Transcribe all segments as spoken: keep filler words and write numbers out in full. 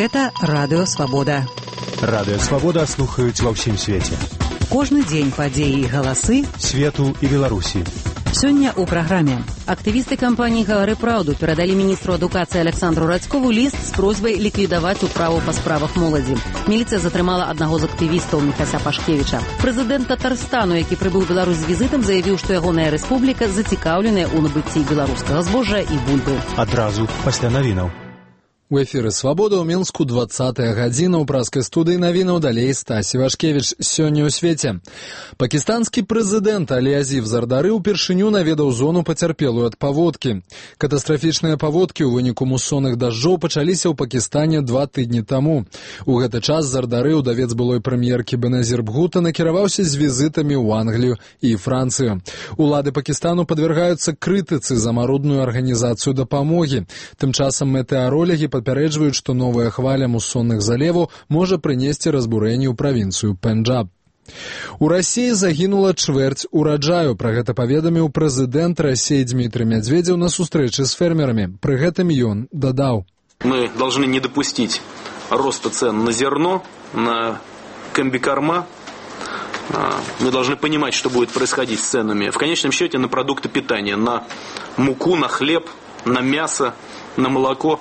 Гэта Радыё Свабода. Радыё Свабода слухаюць ва ўсім свеце. Кожны дзень падзеі і галасы свету і Беларусі. Сёння ў праграме. Актывісты кампаніі «Гавары праўду» перадалі міністру адукацыі Александру Радзькову ліст з просьбай ліквідаваць управу па справах моладзі. Міліцыя затрымала аднаго з актывістаў Міхася Пашкевіча. Прэзідэнт Татарстану, які прыбыў у Беларусь з візітам, заявіў, што ягоная рэспубліка зацікаўленая ў набыцці беларускага збожжа і бульбы. Адразу пасля навінаў. У эфіры «Свабода» ў Мінску двадцатая гадзіна ў праскай студыі навінаў, далей Стась Івашкевіч. Сёння ў свеце. Пакістанскі прэзідэнт Алі Азів Зардары ўпершыню наведаў зону пацярпелую ад паводкі. Катастрафічныя паводкі ў выніку мусонных дажджоў пачаліся ў Пакістане два тыдні таму. У гэты час Зардары, удавец былой прэм'еркі Беназір Бхута, накіраваўся з візітамі ў Англію і Францыю. Улады Пакістану падвяргаюцца крытыцы за марудную арганізацыю дапамогі. Тым часам метэаролагі папярэджваюць, што новая хваля мусонных залеваў можа прынесці разбурэнне ў правінцыю Пенджаб. У Расіі загінула чвэрць ураджаю. Пра гэта паведаміў прэзідэнт Расіі Дмітрий Медведзеў на сустрэчы з фермерамі. Пры гэтым ён дадаў: Мы должны не допустить роста цен на зерно, на комбикорма. Мы должны понимать, что будет происходить с ценами. В конечном счете на продукты питания, на муку, на хлеб, на мясо, на молоко.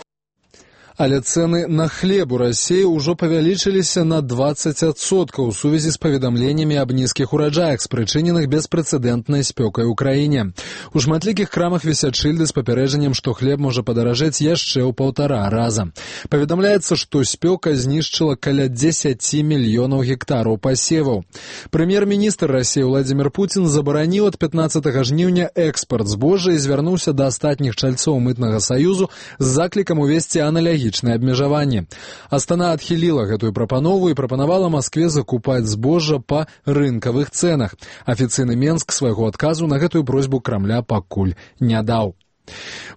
Але цэны на хлеб у Расіі ўжо павялічыліся на дваццаць адсоткаў у сувязі з паведамленнямі аб нізкіх ураджаях, спрычыненых беспрэцэдэнтнай спёкай у краіне. У шматлікіх крамах вісяць шыльды з папярэджаннем, што хлеб можа падаражэць яшчэ ў паўтара раза. Паведамляецца, што спёка знішчыла каля дзесяці мільёнаў гектараў пасеваў. Прэм'ер-міністр Расіі Владзімір Пуцін забараніў ад пятнаццатага жніўня экспарт збожжа і звярнуўся да астатніх чальцоў мытнага саюзу з заклікам увесці аналагічныя абмежаванні. Астана адхіліла гэтую прапанову і прапанавала Маскве закупаць збожжа па рынкавых цэнах. Афіцыйны Менск свайго адказу на гэтую просьбу Крамля пакуль не даў.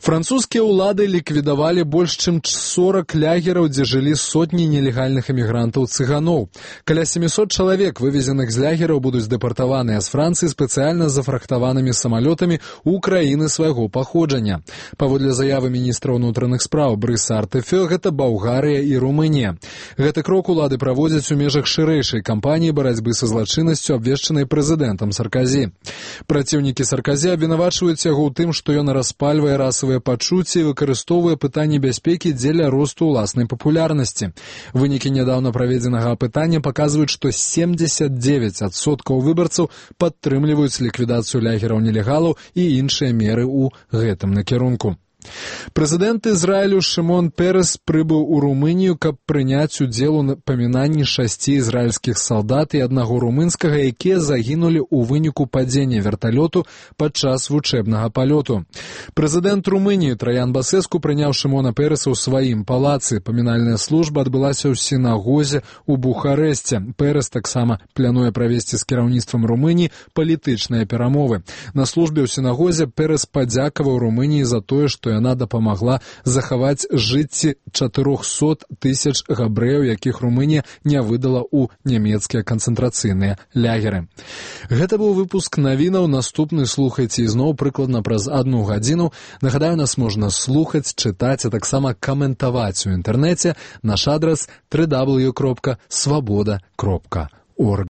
Французскія ўлады ліквідавалі больш чым сорак лагераў, дзе жылі сотні нелегальных эмігрантаў-цыганоў. Каля сямісот чалавек, вывезеных з лагераў, будуць дэпартаваныя з Францыі спецыяльна зафрахтаванымі самалётамі ў краіны свайго паходжання. Паводле заявы міністра ўнутраных спраў Брыса Артэфё, гэта Балгарыя і Румынія. Гэты крок улады праводзяць у межах шырэйшай кампаніі барацьбы са злачыннасцю, абвешчанай прэзідэнтам Сарказі. Праціўнікі Сарказі абвінавачваюць яго ў тым, што ён распальвае расавыя пачуцці і выкарыстоўвае пытанні бяспекі дзеля росту ўласнай папулярнасці. Вынікі нядаўна праведзенага апытання паказваюць, што семдзесят дзевяць адсоткаў выбарцаў падтрымліваюць ліквідацыю лагераў нелегалаў і іншыя меры ў гэтым накірунку. Прэзідэнт Ізраілю Шымон Перес прыбыў у Румынію, каб прыняць удзел у памінанні шасці ізраільскіх салдат і аднаго румынскага, якія загінулі ў выніку падзення верталёту падчас вучэбнага палёту. Прэзідэнт Румыніі Траян Басэску прыняў Шымона Переса ў сваім палацы. Памінальная служба адбылася ў сінагозе ў Бухарэсце. Перес таксама плануе правесці з кіраўніцтвам Румыніі палітычныя перамовы. На службе ў сінагозе Перес падзякаваў Румыніі за тое, што яна дапамагла захаваць жыцці чатырохсот тысяч габрэяў, якіх Румынія не выдала ў нямецкія канцэнтрацыйныя лягеры. Гэта быў выпуск навінаў. Наступны слухайце ізноў прыкладна праз адну гадзіну. Нагадаю, нас можна слухаць, чытаць, а таксама каментаваць у інтэрнэце. Наш адрас дабл ю дабл ю дабл ю кропка свабода кропка орг.